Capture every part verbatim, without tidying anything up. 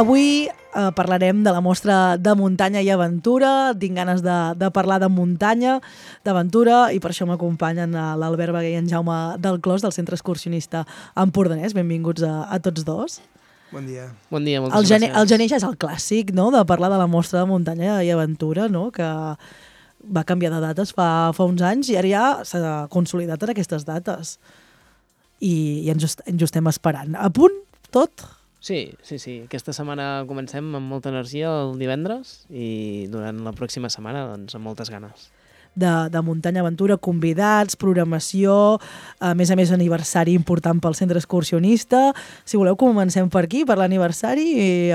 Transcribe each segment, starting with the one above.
Avui eh, parlarem de la mostra de muntanya i aventura. Tinc ganes de, de parlar de muntanya, d'aventura, i per això m'acompanyen l'Albert Bagué i en Jaume del Clos, del Centre Excursionista Empordanès. Benvinguts a, a tots dos. Bon dia. Bon dia, moltes el gener, gràcies. El gener ja és el clàssic, no?, de parlar de la mostra de muntanya i aventura, no?, que va canviar de dates fa, fa uns anys i ara ja s'ha consolidat en aquestes dates. I, i ens, ens ho estem esperant. A punt, tot? Sí, sí, sí. Aquesta setmana comencem amb molta energia el divendres i durant la pròxima setmana, doncs, amb moltes ganes. De, de muntanya aventura, convidats, programació, a més a més aniversari important pel Centre Excursionista. Si voleu comencem per aquí, per l'aniversari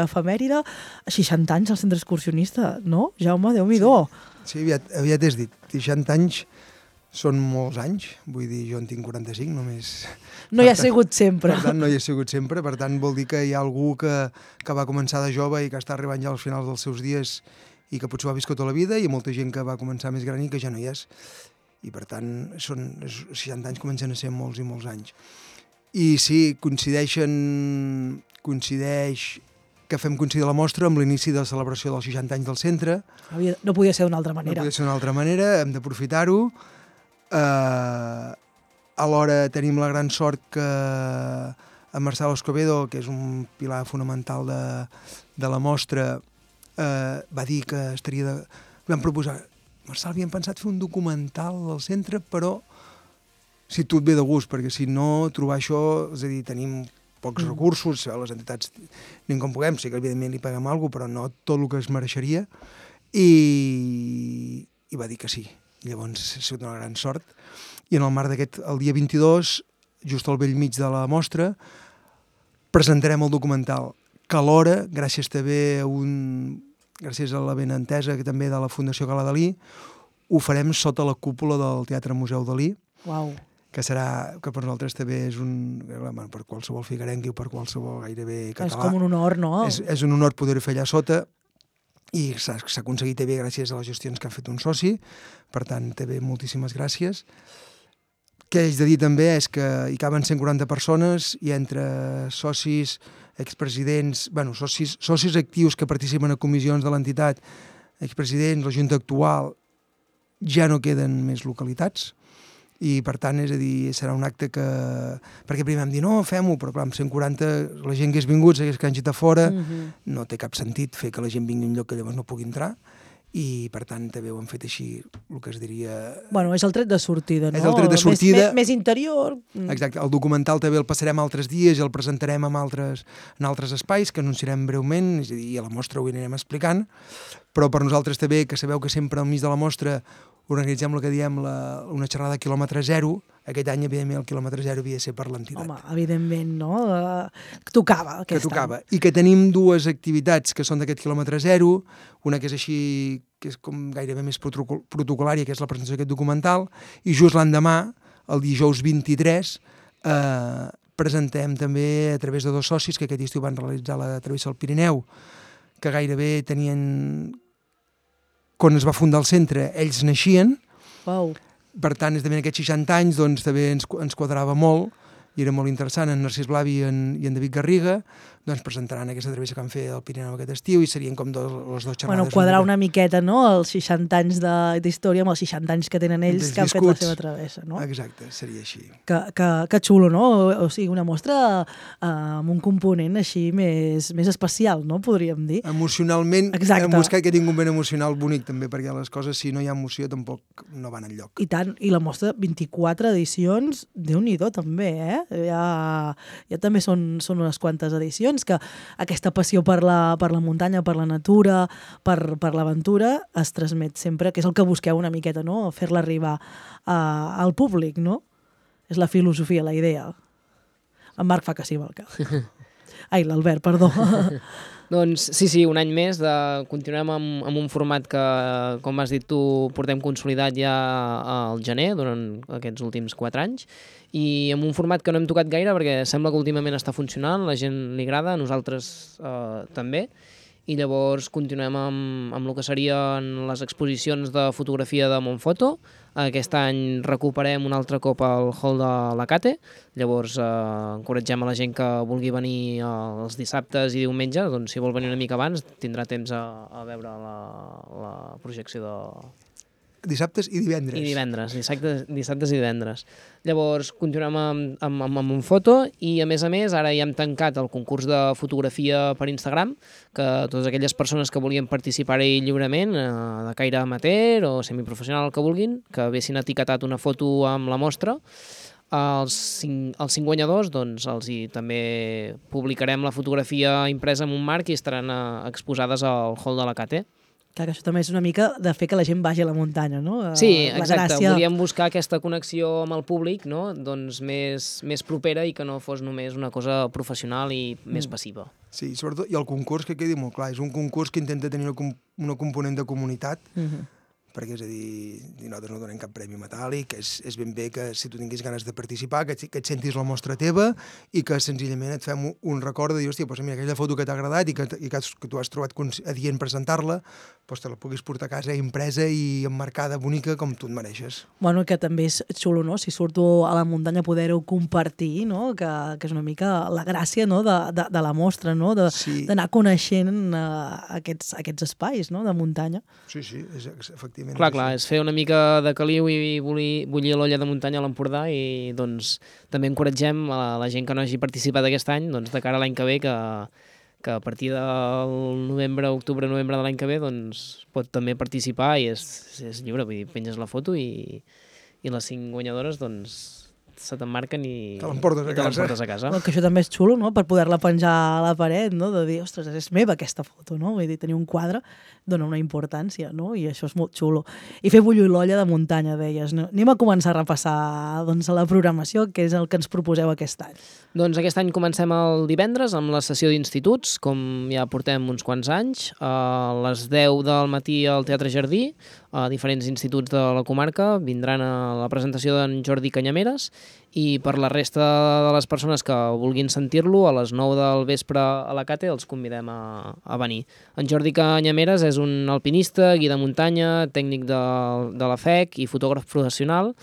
efemèride. seixanta anys al Centre Excursionista, no? Jaume, Déu-n'hi-do. Sí, sí, aviat, aviat has dit, seixanta anys són molts anys, vull dir, jo en tinc quaranta-cinc només. No hi ha sigut sempre. Per tant, no hi ha sigut sempre, per tant vol dir que hi ha algú que, que va començar de jove i que està arribant ja als finals dels seus dies i que potser ho ha viscut tota la vida, i molta gent que va començar més gran i que ja no hi és. I per tant, són, seixanta anys comencen a ser molts i molts anys. I sí, coincideixen, coincideix que fem coincidir la mostra amb l'inici de la celebració dels seixanta anys del centre. No podia ser d'una altra manera. No podia ser d'una altra manera, hem d'aprofitar-ho. Uh, alhora tenim la gran sort que en Marcelo Escobedo, que és un pilar fonamental de, de la mostra, uh, va dir que estaria de... Vam proposar, Marcel, havíem pensat fer un documental del centre, però si tot ve de gust, perquè si no, trobar això, és a dir, tenim pocs mm. recursos, les entitats anem com puguem, sí que evidentment li paguem alguna cosa, però no tot el que es mereixeria, i, i va dir que sí. Llavors ha sigut una gran sort, i en el marc d'aquest, el dia vint-i-dos, just al bell mig de la mostra, presentarem el documental, que alhora, gràcies també a un, gràcies a la benentesa que també de la Fundació Gala Dalí, ho farem sota la cúpula del Teatre Museu Dalí, Uau. que serà, que per nosaltres també és un, per qualsevol figuerenc i per qualsevol gairebé català. És com un honor, no? És, és un honor poder-ho fer allà sota, i s'ha aconseguit també gràcies a les gestions que ha fet un soci, per tant, també moltíssimes gràcies. Què haig de dir també és que hi caben cent quaranta persones, i entre socis, expresidents, bueno, socis, socis actius que participen a comissions de l'entitat, expresidents, la Junta actual, ja no queden més localitats, i per tant, és a dir, serà un acte que... Perquè primer vam dir, no, fem-ho, però clar, amb cent quaranta, la gent que és vingut, que hagi estat fora, uh-huh. no té cap sentit fer que la gent vingui a un lloc que llavors no pugui entrar, i per tant també ho hem fet així, el que es diria... Bueno, és el tret de sortida, no? És el tret de sortida. Més, més, més interior. Exacte, el documental també el passarem altres dies i el presentarem en altres, en altres espais, que anunciarem breument, és a dir, a la mostra ho anirem explicant, però per nosaltres també, que sabeu que sempre al mig de la mostra organitzem el que diem la, una xerrada a quilòmetre zero. Aquest any, evidentment, el quilòmetre zero havia de ser per l'entitat. Home, evidentment, no? Uh, tocava aquest que tocava. any. I que tenim dues activitats que són d'aquest quilòmetre zero, una que és així, que és com gairebé més protocolària, que és la presentació d'aquest documental, i just l'endemà, el dijous vint-i-tres, eh, presentem també a través de dos socis que aquest estiu van realitzar la travessa del Pirineu, que gairebé tenien... Quan es va fundar el centre, ells naixien. Wow. Per tant, és també en aquests seixanta anys, doncs també ens, ens quadrava molt, i era molt interessant. En Narcís Blavi i en, i en David Garriga doncs presentaran aquesta travessa que han fet al Pirineu aquest estiu, i serien com dos, les dues xerrades. Bueno, quadrar una miqueta, no?, els seixanta anys d'història amb els seixanta anys que tenen ells que han fet la seva travessa, no? Exacte, seria així. Que, que, que xulo, no? O sigui, una mostra uh, amb un component així més, més especial, no?, podríem dir. Emocionalment, exacte. Hem buscat que tingui un ben emocional bonic també, perquè les coses, si no hi ha emoció, tampoc no van enlloc. I tant, i la mostra, vint-i-quatre edicions, Déu-n'hi-do també, eh? Ja, ja també són, són unes quantes edicions, que aquesta passió per la, per la muntanya, per la natura, per, per l'aventura, es transmet sempre, que és el que busqueu una miqueta, no?, fer-la arribar a, al públic, no? És la filosofia, la idea. En Marc fa que sí, amb el cap. Ai, l'Albert, perdó. Doncs sí, sí, un any més, de, continuem amb, amb un format que, com has dit tu, portem consolidat ja al gener, durant aquests últims quatre anys, i amb un format que no hem tocat gaire perquè sembla que últimament està funcionant, la gent li agrada, a nosaltres eh, també, i llavors continuem amb, amb el que serien les exposicions de fotografia de Montfoto. Aquest any recuperem un altre cop el hall de la Cate, llavors eh, encoratgem a la gent que vulgui venir els dissabtes i diumenges, doncs si vol venir una mica abans tindrà temps a, a veure la, la projecció de... Dissabtes i divendres. I divendres, dissabtes, dissabtes i divendres. Llavors continuem amb, amb, amb, amb un foto i, a més a més, ara ja hem tancat el concurs de fotografia per Instagram, que totes aquelles persones que volien participar-hi lliurement, eh, de caire amateur o semiprofessional, el que vulguin, que haguessin etiquetat una foto amb la mostra, els cinc, els cinc guanyadors doncs, els hi també publicarem la fotografia impresa en un marc i estaran eh, exposades al hall de la Cate. Clar, que això també és una mica de fer que la gent vagi a la muntanya, no? Sí, la exacte. gràcia... Volíem buscar aquesta connexió amb el públic, no? Doncs més, més propera i que no fos només una cosa professional i mm. més passiva. Sí, sobretot, i el concurs que quedi molt clar, és un concurs que intenta tenir una, una component de comunitat, mm-hmm. perquè, és a dir, nosaltres no donem cap premi metàl·lic, és, és ben bé que si tu tinguis ganes de participar, que, que et sentis la mostra teva i que senzillament et fem un, un record de dir, hòstia, doncs mira, aquella foto que t'ha agradat i que, i que, has, que tu has trobat adient presentar-la, doncs te la puguis portar a casa impresa i emmarcada, bonica, com tu et mereixes. Bueno, que també és xulo, no?, si surto a la muntanya poder-ho compartir, no?, que, que és una mica la gràcia, no?, de, de, de la mostra, no?, d'anar sí. coneixent uh, aquests, aquests espais, no?, de muntanya. Sí, sí, és, efectivament. Clar, clar, és fer una mica de caliu i bullir, bullir l'olla de muntanya a l'Empordà i doncs també encoratgem a la, la gent que no hagi participat aquest any, doncs de cara a l'any que ve, que, que a partir del novembre, octubre, novembre de l'any que ve, doncs pot també participar i és, és lliure, vull dir, penges la foto i, i les cinc guanyadores, doncs se t'emmarquen i te l'emportes a, a casa. Bueno, que això també és xulo, no?, per poder-la penjar a la paret, no?, de dir, ostres, és meva aquesta foto, no?, vull dir, tenir un quadre dona una importància, no?, i això és molt xulo. I fer bullir l'olla de muntanya, deies, no? Anem a començar a repassar, doncs, la programació, que és el que ens proposeu aquest any. Doncs aquest any comencem el divendres amb la sessió d'instituts, com ja portem uns quants anys, a les deu del matí al Teatre Jardí, a diferents instituts de la comarca, vindran a la presentació d'en Jordi Canyameres, i per la resta de les persones que vulguin sentir-lo, a les nou del vespre a la Cate els convidem a, a venir. En Jordi Canyameres és un alpinista, guia de muntanya, tècnic de, de la F E C i fotògraf professional,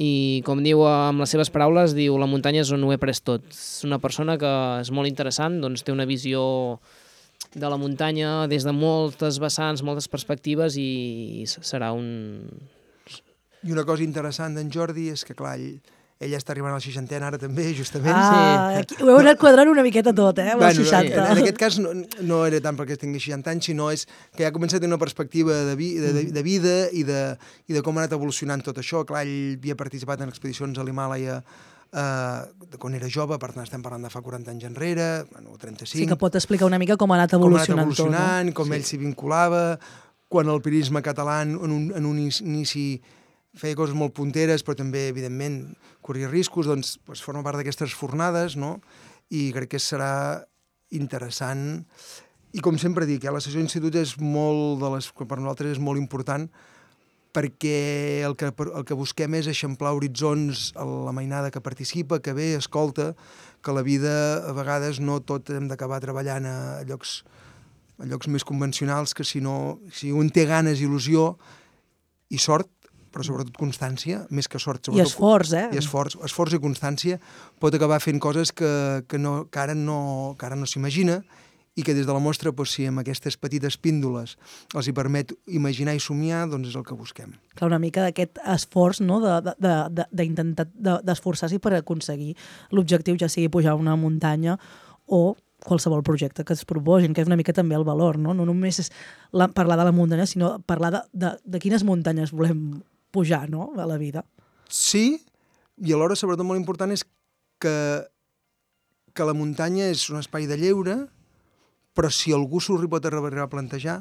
i com diu amb les seves paraules, diu la muntanya és on ho he pres tot. És una persona que és molt interessant, doncs té una visió de la muntanya des de moltes vessants, moltes perspectives i serà un... I una cosa interessant d'en Jordi és que, clar, ell, ell està arribant a la seixantena ara també, justament. Ah, sí. Ho heu anat quadrant una miqueta tot, eh, amb bueno, els seixanta. En, en aquest cas no, no era tant perquè tingui seixanta anys, sinó és que ja ha començat a tenir una perspectiva de, vi, de, de, de vida i de, i de com ha anat evolucionant tot això. Clar, ell havia participat en expedicions a l'Himàlaia Uh, de quan era jove, per tant estem parlant de fa quaranta anys enrere, bueno, trenta-cinc. Sí, que pot explicar una mica com ha anat evolucionant, com ha anat evolucionant tot, no? Com sí. Ell s'hi vinculava, quan el pirisme català en un, en un inici feia coses molt punteres, però també, evidentment, corria riscos, doncs, doncs forma part d'aquestes fornades, no? I crec que serà interessant. I com sempre dic, eh, la sessió d'institut és molt de les, per nosaltres és molt important, perquè el que, el que busquem és eixamplar horitzons a la mainada que participa, que ve, escolta, que la vida a vegades no tot hem d'acabar treballant a llocs, a llocs més convencionals, que si no, si un té ganes, il·lusió i sort, però sobretot constància, més que sort. I esforç, eh? I esforç, esforç i constància, pot acabar fent coses que, que, no, que ara no, que ara no s'imagina, i que des de la mostra, doncs, si amb aquestes petites píndoles els hi permet imaginar i somiar, doncs és el que busquem. Clar, una mica d'aquest esforç, no?, d'intentar de, de, d'esforçar-s'hi per aconseguir l'objectiu, ja sigui pujar una muntanya o qualsevol projecte que es proposin, que és una mica també el valor, no? No només és la, parlar de la muntanya, sinó parlar de, de, de quines muntanyes volem pujar, no?, a la vida. Sí, i alhora, sobretot, molt important és que, que la muntanya és un espai de lleure, però si algú s'ho pot arribar a plantejar,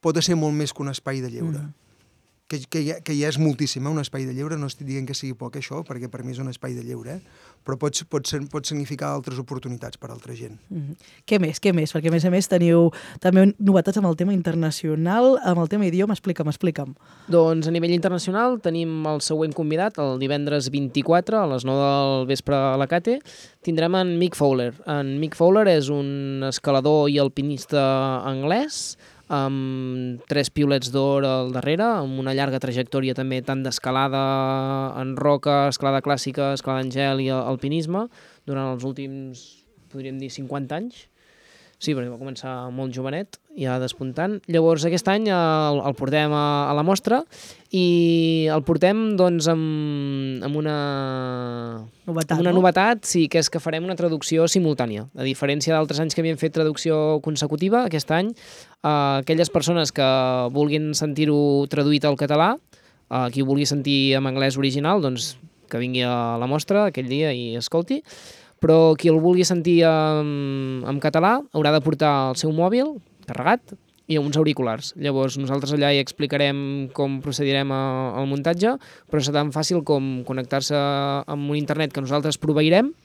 pot ser molt més que un espai de lleure. Mm. que, que, ja, que ja és moltíssim, eh, un espai de lleure, no estic dient que sigui poc això, perquè per mi és un espai de lleure, eh? Però pot, pot, ser, pot significar altres oportunitats per a altra gent. Mm-hmm. Què més, què més? Perquè a més a més teniu també novetats amb el tema internacional, amb el tema idioma, explica'm, explica'm. Doncs a nivell internacional tenim el següent convidat, el divendres vint-i-quatre a les nou del vespre a la Cate, tindrem en Mick Fowler. En Mick Fowler és un escalador i alpinista anglès, amb tres piolets d'or al darrere, amb una llarga trajectòria també tant d'escalada en roca, escalada clàssica, escalada en gel i alpinisme durant els últims, podríem dir, cinquanta anys. Sí, perquè va començar molt jovenet, ja despuntant. Llavors aquest any el, el portem a, a la mostra i el portem doncs amb, amb una novetat, amb una no? novetat, sí, que és que farem una traducció simultània. A diferència d'altres anys que havíem fet traducció consecutiva, aquest any eh, aquelles persones que vulguin sentir-ho traduït al català, eh, qui ho vulgui sentir en anglès original, doncs que vingui a la mostra aquell dia i escolti. Però qui el vulgui sentir en, en català haurà de portar el seu mòbil carregat i uns auriculars. Llavors nosaltres allà hi explicarem com procedirem a, al muntatge, però serà tan fàcil com connectar-se amb un internet que nosaltres proveirem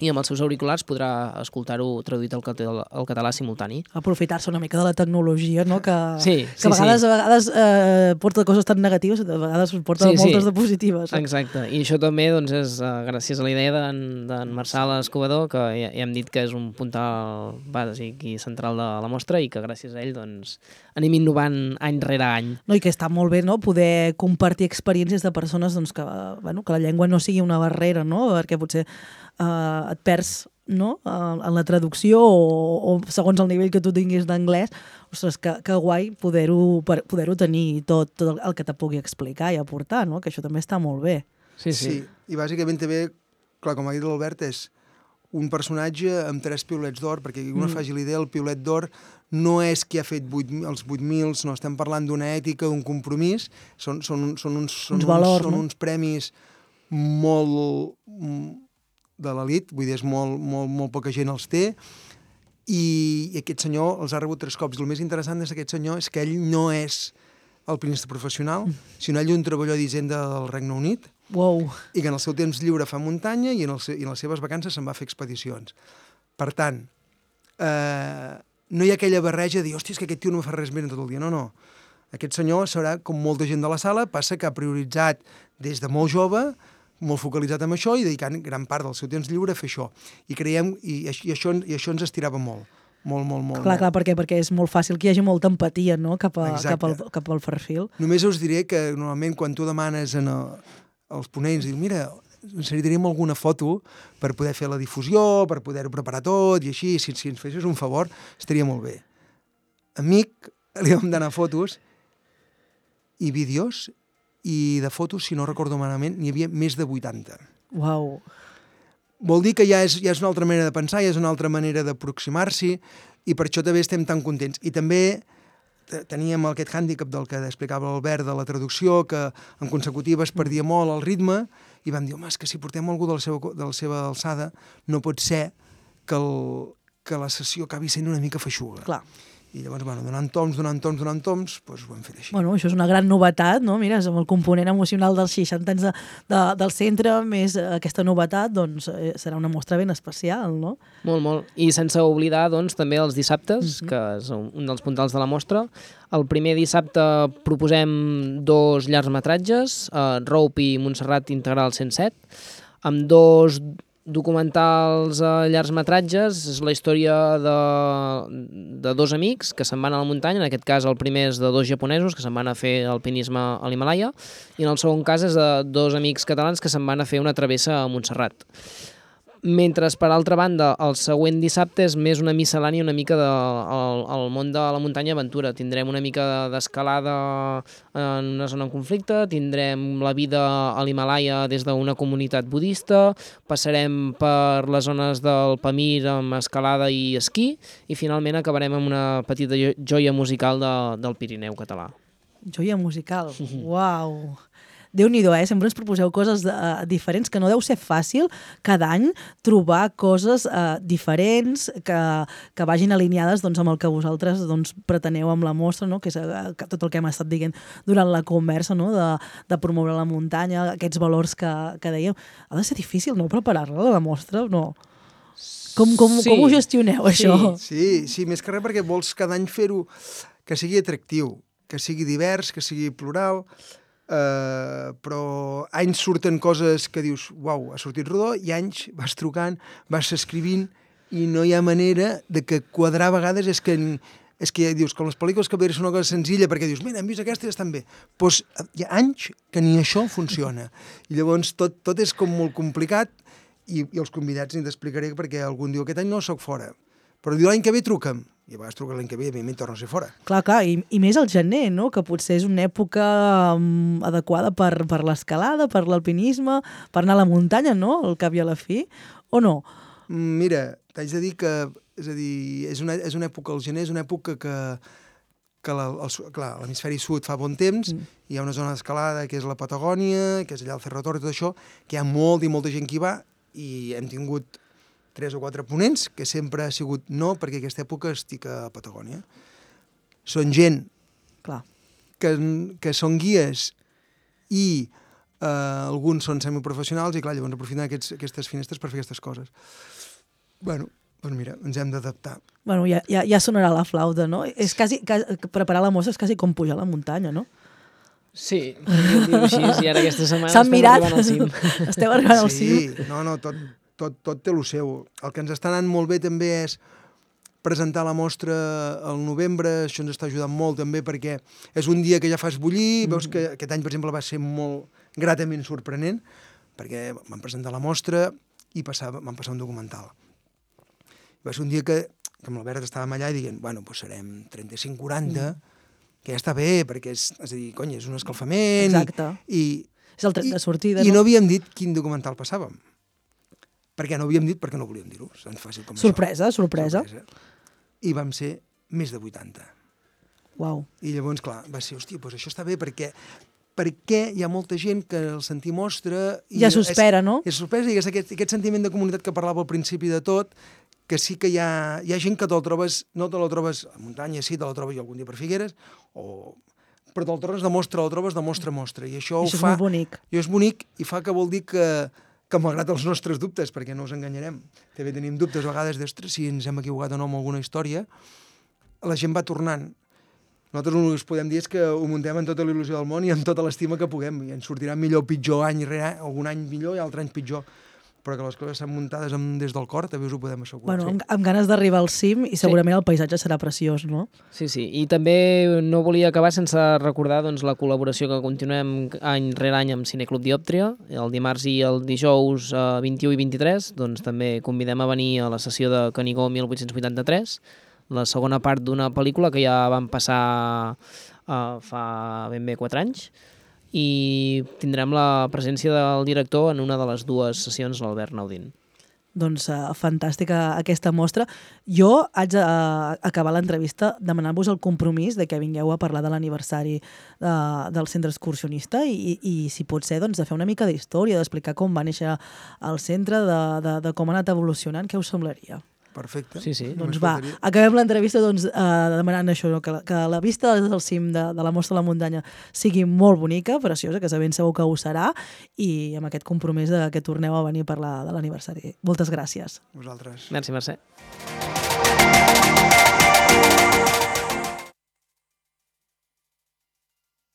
i amb els seus auriculars podrà escoltar-ho traduït al català, al català simultani. Aprofitar-se una mica de la tecnologia, no? Que, sí, que sí, a vegades, sí. a vegades eh, porta coses tan negatives, a vegades porta sí, moltes sí. de positives. Exacte, i això també doncs, és uh, gràcies a la idea d'en Marçal Escobador, que ja, ja hem dit que és un puntal bàsic i central de la mostra i que gràcies a ell doncs, anem innovant any rere any. No, i que està molt bé, no?, poder compartir experiències de persones doncs, que, bueno, que la llengua no sigui una barrera, no?, perquè potser eh, et perds, no?, en la traducció o, o segons el nivell que tu tinguis d'anglès. Ostres, que, que guai poder-ho poder tenir tot, tot el que te pugui explicar i aportar, no?, que això també està molt bé. Sí, sí. Sí, i bàsicament també, clar, com ha dit l'Albert, és un personatge amb tres piulets d'or, perquè una mm. faci l'idea, el piulet d'or no és qui ha fet vuit, els vuit mil, no estem parlant d'una ètica, d'un compromís, són, són, són, uns, són, uns, valors, uns, són no? uns premis molt de l'elit, vull dir, és molt, molt, molt poca gent els té, i, i aquest senyor els ha rebut tres cops. El més interessant d'aquest senyor és que ell no és alpinista professional, mm. sinó ell un treballador d'Hisenda del Regne Unit, wow. i que en el seu temps lliure fa muntanya i en, el, i en les seves vacances se'n va fer expedicions. Per tant, eh, no hi ha aquella barreja de dir, hòstia, és que aquest tio no fa res més en tot el dia. No, no. Aquest senyor serà, com molta gent de la sala, passa que ha prioritzat des de molt jove, molt focalitzat en això i dedicant gran part del seu temps lliure a fer això. I creiem, i, i, això, i això ens estirava molt. Molt, molt, molt. Clar, molt. clar, perquè, perquè és molt fàcil que hi hagi molta empatia, no?, cap, a, cap, al, cap al perfil. Només us diré que normalment quan tu demanes en el, als ponents, diu, mira, necessitaríem alguna foto per poder fer la difusió, per poder-ho preparar tot, i així, si, si ens fessis un favor, estaria molt bé. Amic, li vam donar fotos i vídeos, i de fotos, si no recordo malament, n'hi havia més de vuitanta. Uau. Vol dir que ja és, ja és una altra manera de pensar, ja és una altra manera d'aproximar-s'hi, i per això també estem tan contents. I també teníem aquest hàndicap del que explicava l'Albert de la traducció, que en consecutiva es perdia molt el ritme, i vam dir, home, és que si portem algú de la seva, de la seva alçada, no pot ser que, el, que la sessió acabi sent una mica feixuga. Clar. I llavors, bueno, donant toms, donant toms, donant toms, doncs ho hem fet així. Bueno, això és una gran novetat, no? Mira, amb el component emocional dels seixanta anys de, de, del centre, més aquesta novetat, doncs eh, serà una mostra ben especial, no? Molt, molt. I sense oblidar, doncs, també els dissabtes, mm-hmm. que és un dels puntals de la mostra. El primer dissabte proposem dos llargmetratges, eh, Rope i Montserrat Integral cent set, amb dos documentals a llargmetratges. És la història de, de dos amics que se'n van a la muntanya. En aquest cas el primer és de dos japonesos que se'n van a fer alpinisme a l'Himalaya, i en el segon cas és de dos amics catalans que se'n van a fer una travessa a Montserrat. Mentre, per altra banda, el següent dissabte és més una miscel·lània una mica del de, món de la muntanya aventura. Tindrem una mica d'escalada en una zona en conflicte, tindrem la vida a l'Himalaya des d'una comunitat budista, passarem per les zones del Pamir amb escalada i esquí, i finalment acabarem amb una petita joia musical de, del Pirineu català. Joia musical, uau! Déu-n'hi-do, eh? Sempre ens proposeu coses uh, diferents, que no deu ser fàcil cada any trobar coses uh, diferents que, que vagin alineades doncs, amb el que vosaltres doncs, preteneu amb la mostra, no? Que és uh, que tot el que hem estat dient durant la conversa, no? de, de promoure la muntanya, aquests valors que, que dèiem. Ha de ser difícil, no?, preparar-la, la mostra, no? Com, com, sí. com ho gestioneu, això? Sí, sí, més que res perquè vols cada any fer-ho que sigui atractiu, que sigui divers, que sigui plural, eh, però anys surten coses que dius, uau, ha sortit rodó, i anys vas trucant, vas escrivint, i no hi ha manera de que quadrar a vegades és que, és que dius, com les pel·lícules que veus són una cosa senzilla, perquè dius, mira, hem vist aquesta i estan bé. Doncs hi ha anys que ni això funciona. I llavors tot, tot és com molt complicat, i, i els convidats ni t'explicaré perquè algun diu, aquest any no soc fora, però diu, l'any que ve truca'm. I a vegades truca l'any que ve i evidentment torno a ser fora. Clar, clar, i, i més al gener, no?, que potser és una època um, adequada per, per l'escalada, per l'alpinisme, per anar a la muntanya, no?, al cap i a la fi, o no? Mira, t'haig de dir que, és a dir, és una, és una època, el gener és una època que, que la, el, clar, l'hemisferi sud fa bon temps, mm. hi ha una zona d'escalada que és la Patagònia, que és allà el Cerro Torre i tot això, que hi ha molt i molta gent que hi va, i hem tingut tres o quatre ponents, que sempre ha sigut no, perquè aquesta època estic a Patagònia. Són gent Clar. Que, que són guies i eh, alguns són semiprofessionals i, clar, llavors aprofiten aquests, aquestes finestres per fer aquestes coses. Bueno, doncs mira, ens hem d'adaptar. Bueno, ja, ja, ja sonarà la flauta, no? És quasi, quasi, preparar la mostra és quasi com pujar a la muntanya, no? Sí, podríem dir-ho així, i ara aquesta setmana S'han estem mirat. arribant al cim. Esteu arribant al cim. Sí, no, no, tot, tot, tot té el seu. El que ens està anant molt bé també és presentar la mostra al novembre, això ens està ajudant molt també perquè és un dia que ja fas bullir, mm. veus que aquest any, per exemple, va ser molt gratament sorprenent, perquè vam presentar la mostra i passava, vam passar un documental. Va ser un dia que, que amb l'Albert estàvem allà i dient, bueno, doncs serem trenta-cinc quaranta, mm. que ja està bé, perquè és, és a dir, cony, és un escalfament. Exacte. I, és el tret de sortida, i, no? I no havíem dit quin documental passàvem. Perquè no havíem dit perquè no volíem dir-ho. És tan fàcil com sorpresa, això. Sorpresa, sorpresa. I vam ser més de vuitanta. Uau. I llavors, clar, va ser, hòstia, doncs això està bé, perquè perquè hi ha molta gent que el sentir mostra... I ja s'espera, no? És sorpresa, i és aquest, aquest sentiment de comunitat que parlava al principi de tot, que sí que hi ha, hi ha gent que te'l trobes, no te la trobes a muntanya, sí, te la trobes algun dia per Figueres, o... però te'l trobes de mostra, la trobes de mostra a mostra, i això, I això ho fa... és molt bonic. I és bonic, i fa que vol dir que, que malgrat els nostres dubtes, perquè no us enganyarem, també tenim dubtes a vegades d'ostres, si ens hem equivocat o no amb alguna història, la gent va tornant. Nosaltres el que podem dir és que ho muntem amb tota la il·lusió del món i amb tota l'estima que puguem, i ens sortirà millor o pitjor any rere any, algun any millor i altre any pitjor, però que les coses estan muntades amb, des del cor, també us ho podem assegurar. Bueno, sí. amb, amb ganes d'arribar al cim i segurament sí. El paisatge serà preciós, no? Sí, sí, i també no volia acabar sense recordar doncs, la col·laboració que continuem any rere any amb Cineclub Diòptria. El dimarts i el dijous eh, vint-i-u i vint-i-tres doncs, també convidem a venir a la sessió de Canigó mil vuit-cents vuitanta-tres, la segona part d'una pel·lícula que ja vam passar uh, fa ben bé quatre anys, i tindrem la presència del director en una de les dues sessions, l'Albert Naudín. Doncs uh, fantàstica aquesta mostra. Jo haig d'acabar uh, l'entrevista demanant-vos el compromís de que vingueu a parlar de l'aniversari uh, del centre excursionista i, i, si pot ser, doncs, de fer una mica d'història, d'explicar com va néixer el centre, de, de, de com ha anat evolucionant. Què us semblaria? Perfecte. Sí, sí. Doncs va, acabem l'entrevista doncs, eh, demanant això, no? que, que la vista des del cim de, de la Mostra de la Muntanya sigui molt bonica, preciosa, que ben segur que ho serà, i amb aquest compromís de que torneu a venir a parlar de l'aniversari. Moltes gràcies. Vosaltres. Merci, Mercè.